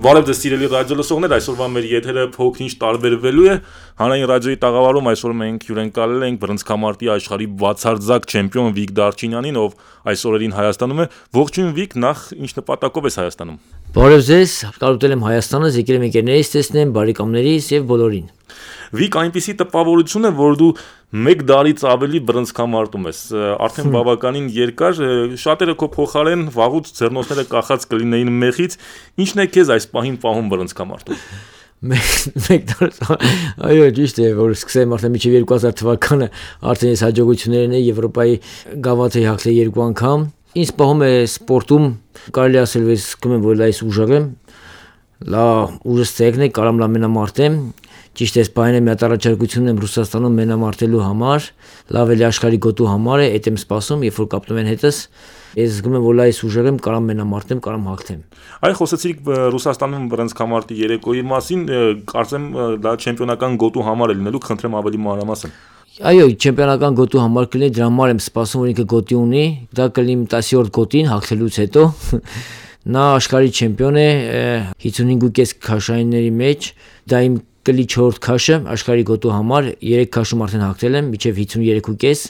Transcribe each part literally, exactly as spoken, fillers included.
Բարև ձեզ սիրելի ռադիո լսողներ, այսօրվա մեր եթերը փոքր-ինչ տարբերվելու է։ Հանրային ռադիոյի տաղավարում այսօր մենք հյուրընկալել ենք բռնցքամարտի աշխարհի բացարձակ չեմպիոն Վիկ Դարչինյանին, ով այս օրերին Հայաստանում է։ Ողջույն Վիկ, նախ ինչ նպատակով ես Հայաստանում։ Բարև ձեզ, կարոտել եմ Հայաստանը, եկել եմ ընկերներիս տեսնեմ, բարեկամներիս եւ բոլորին։ Վիկ, այնպիսի տպավորություն է, որ դու մեկ դարից ավելի բռնցքամարտում ես, արդեն բավականին երկար, շատերը քո փոխարեն վաղուց ձեռնոցները կախած կլինեին մեղից, ինչն է քեզ այս պահին պահում բռնցքամարտում։ Մեկ դար, այո, ճիշտ է, որ սկսեմ արդեն մինչև երկու հազար թվականը, արդեն ես հաջողություններ ունեի Եվրոպայի գավաթ էի հաղթել երկու անգամ։ Ինձ պահում է սպորտում, կարելի ասել, ես զգում եմ, որ լայս ուժեղ եմ, լա ուժս ցեղն է, կարամ լա մենամարտեմ։ Ճիշտ է, սպայն եմ այդ առաջարկությունն եմ Ռուսաստանում մենամարտելու համար, լավ էլի աշխարհի գոտու համար է, այդ եմ սպասում, երբ որ կապտում են հետս, ես զգում եմ, որ լայս ուժեղ եմ, կարամ մենամարտեմ, կարամ հաղթեմ։ Այ խոսեցիք Ռուսաստանում բռնցքամարտի երեկոյի մասին, կարծեմ դա չեմպիոնական գոտու համար է լինելու, խնդրեմ ավելի մանրամասն։ Այո, չեմպիոնական գոտու համար կլինի, դրա համար եմ սպասում, որ ինքը գոտի ունի, դա կլինի տասնյոթ գոտին հաղթելուց հետո։ Նա աշխարհի չեմպիոն է հիսունհինգ ու կես քաշայինների մեջ, դա իմ կլի չորրորդ քաշը աշխարհի գոտու համար, երեք քաշում արդեն հաղթել եմ, մինչև հիսունյոթ ու կես,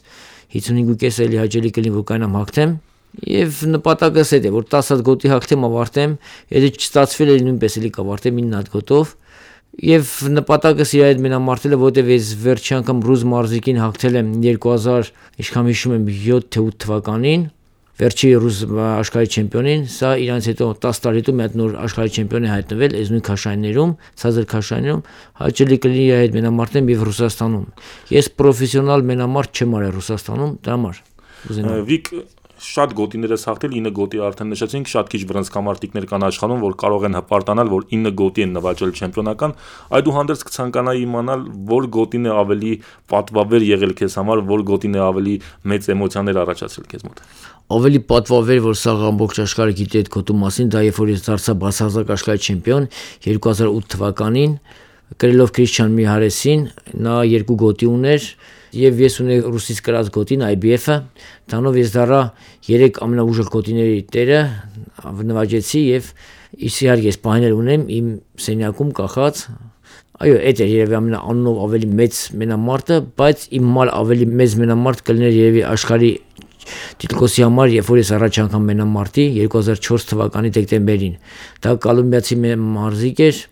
հիսունհինգ ու կես էլի հաճելի կլինի, որ կանամ հաղթեմ, եւ նպատակս է, որ տասը հատ գոտի հաղթեմ, ավարտեմ, եթե չստացվել է նույնպես էլի կավարտեմ ինը հատ գոտով, եւ նպատակս իր այդ մենամարտելը, որտեւ ես վերջի անգամ ռուս մարզիկին հաղթել եմ երկու հազար, ինչքան հիշում եմ յոթ թե ութ թվականին, վերջի ռուս աշխարհի չեմպիոնին, սա իրանց հետո տասը տարի հետո մի հատ նոր աշխարհի չեմպիոն է հայտնվել, այս նույն քաշայիններում, ցածր քաշայիններում, հաճելի կլինի այդ մենամարտեմ եւ Ռուսաստանում։ Ես պրոֆեսիոնալ մենամարտ չեմ արել Ռուսաստանում, դրա համար։ Վիկ, շատ գոտիներ ես հաղթել, ինը գոտի արդեն նշեցինք, շատ քիչ բռնցքամարտիկներ կան աշխարհում, որ կարող են հպարտանալ, որ ինը գոտի են նվաճել չեմպիոնական, այդուհանդերձ կցանկանայի իմանալ, որ գոտին է ավելի պատվաբեր եղել քեզ համար, որ գոտին է ավելի մեծ էմոցիաներ առաջացրել քեզ մոտ։ Ավելի պատվաբեր, որ սա ամբողջ աշխարհը գիտի այդ գոտու մասին, դա երբ որ ես դարձա բացարձակ աշխարհի չեմպիոն երկու հազար ութ թվականին, կրելով Քրիշչյան Միհարեսին, նա երկու գոտի ուներ, եւ ես ունեի ռուսից կրած գոտին I B F-ը, դրանով ես դառա երեք ամենաուժեղ գոտիների տերը, նվաճեցի եւ իհարկե ես պահներ ունեմ իմ սենյակում կախած։ Այո, այդ է երևի ամենաանունով ավելի մեծ մենամարտը, բայց իմ մալ ավելի մեծ մենամարտ կլիներ երևի աշխարհի Տիտկոսի համար, երբ որ ես առաջ անգամ մենամարտի երկու հազար չորս թվականի դեկտեմբերին, դա կոլումբիացի մարզիկ էր,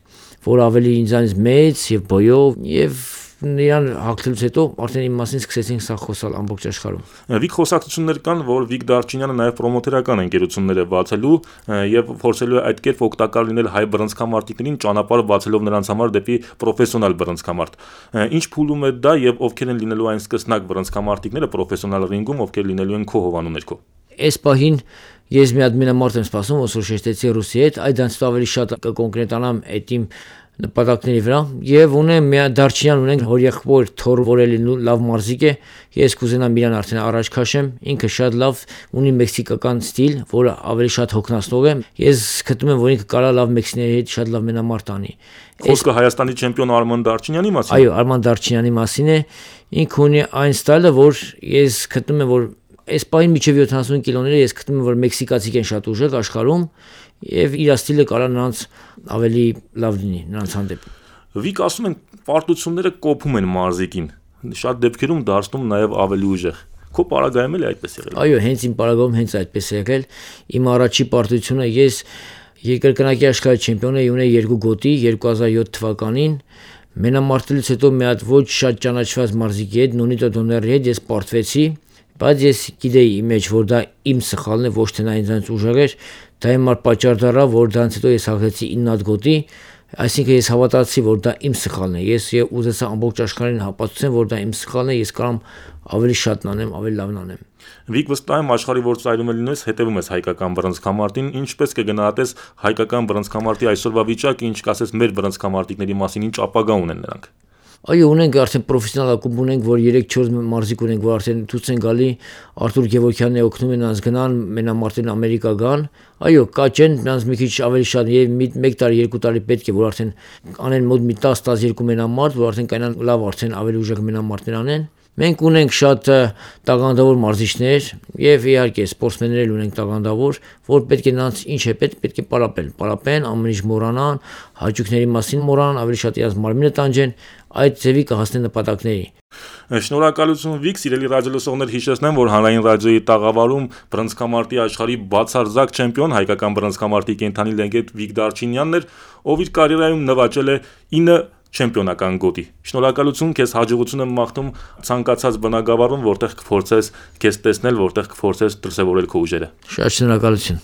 որ ավելի ինձանից մեծ եւ բոյով եւ նրան հաղթելուց հետո արդեն իմ մասին սկսեցինք սա խոսալ ամբողջ աշխարհում։ Վիկ, խոսակցություններ կան, որ Վիկ Դարչինյանը նաև պրոմոթերական ընկերություններ է բացելու եւ փորձելու է այդ կերպ օգտակար լինել հայ բռնցքամարտիկներին, ճանապարհ բացելով նրանց համար դեպի պրոֆեսիոնալ բռնցքամարտ։ Ինչ փուլում է դա եւ ովքեր են լինելու այն սկսնակ բռնցքամարտիկները պրոֆեսիոնալ ռինգում, ովքեր լինելու են քո հովանու ներքո։ Այս պահին ես մի հատ մենամարտ եմ սպասում, ոսոր շեշտեցի ռուսի հետ, այդ դրանից ավելի շատ կկոնկրետանամ այդ իմ նպատակների վրա եւ ունեմ մի Դարչինյան ունենք հորեղբոր թոր որելի լավ մարզիկ է, ես կուզենամ իրան արդեն առաջ քաշեմ, ինքը շատ լավ ունի մեքսիկական ստիլ, որը ավելի շատ հոգնածնող է, ես գտնում եմ, որ ինքը կարա լավ մեքսիների հետ շատ լավ մենամարտ անի։ Խոսքը Հայաստանի չեմպիոն Արման Դարչինյանի մասին։ Այո, Արման Դարչինյանի մասին է, ինքը ունի այն ստայլը, որ ես գտնում եմ, որ այս պահին միջև յոթանասուն կիլոները ես գտնում եմ, որ մեքսիկացիք են շատ ուժեղ աշխարհում եւ իր ստիլը կարա նրանց ավելի լավ լինի նրանց հանդեպ։ Վիկ, ասում են պարտությունները կոփում են մարզիկին, շատ դեպքերում դարձնում նաեւ ավելի ուժեղ։ Քո պարագայում էլ այդպես եղել։ Այո, հենց իմ պարագայում հենց այդպես եղել։ Իմ առաջի պարտությունը ես երկրկնակի աշխարհի չեմպիոն էի, ունեի երկու գոտի երկու հազար յոթ թվականին։ Մենամարտելուց հետո մի հատ ոչ շատ ճանաչված մարզիկի հետ, Նոնիտո Դոների հետ ես պարտվեցի, բայց ես գիտեի իմ մեջ, որ դա իմ սխալն է, ոչ թե նա ինձանից ուժեղ էր, դա համար պատճառ դառավ, որ դրանից հետո ես հաղթեցի ինը հատ գոտի, այսինքն ես հավատացի, որ դա իմ սխալն է, ես ուզեցա ամբողջ աշխարհին հապացուցեմ, որ դա իմ սխալն է, ես կարամ ավելի շատ անեմ, ավելի լավն անեմ։ Վիկ, վստահ եմ աշխարհի որ ծայրում է լինես, հետևում ես հայկական բռնցքամարտին, ինչպես կգնահատես հայկական բռնցքամարտի այսօրվա վիճակը, ինչ կասես մեր բռնցքամարտիկների մասին, ինչ ապագա ունեն նրանք։ Այո, ունենք արդեն պրոֆեսիոնալ ակումբ ունենք, որ երեք չորս մարզիկ ունենք, որ արդեն ցույց են գալի, Արտուր Գևորգյանն է օգնում են նրանց գնան, մենամարտին Ամերիկա գան։ Այո, կա չեն, նրանց մի քիչ ավելի շատ եւ մեկ տարի, երկու տարի պետք է, որ արդեն անեն մոտ մի տասը տասնյոթ մենամարտ, որ արդեն կանան լավ արդեն ավելի ուժեղ մենամարտներ անեն։ Մենք ունենք շատ տաղանդավոր մարզիչներ եւ իհարկե սպորտսմեններ ունենք տաղանդավոր, որ պետք է նրանց ինչ է պետք, պետք է պարապել, պարապեն, ամեն ինչ մոռանան, հաճույքների մասին մոռանան, ավելի շատ իրաց մարմինը տանջեն, այդ ձևի կհասնեն նպատակների։ Շնորհակալություն Վիկ, սիրելի ռադիոլսողներ, հիշեցնեմ, որ հանրային ռադիոյի տաղավարում բռնցքամարտի աշխարհի բացարձակ չեմպիոն հայկական բռնցքամարտի կենթանի լեգենդ Վիկ Դարչինյանն էր, ով իր կարիերայում նվաճել է ինը չեմպիոնական գոտի։ Շնորհակալություն, քեզ հաջողություն եմ մաղթում ցանկացած բնագավառում, որտեղ կփորձես քեզ տեսնել, որտեղ կփորձես դրսևորել քո ուժերը։ Շատ շնորհակալություն։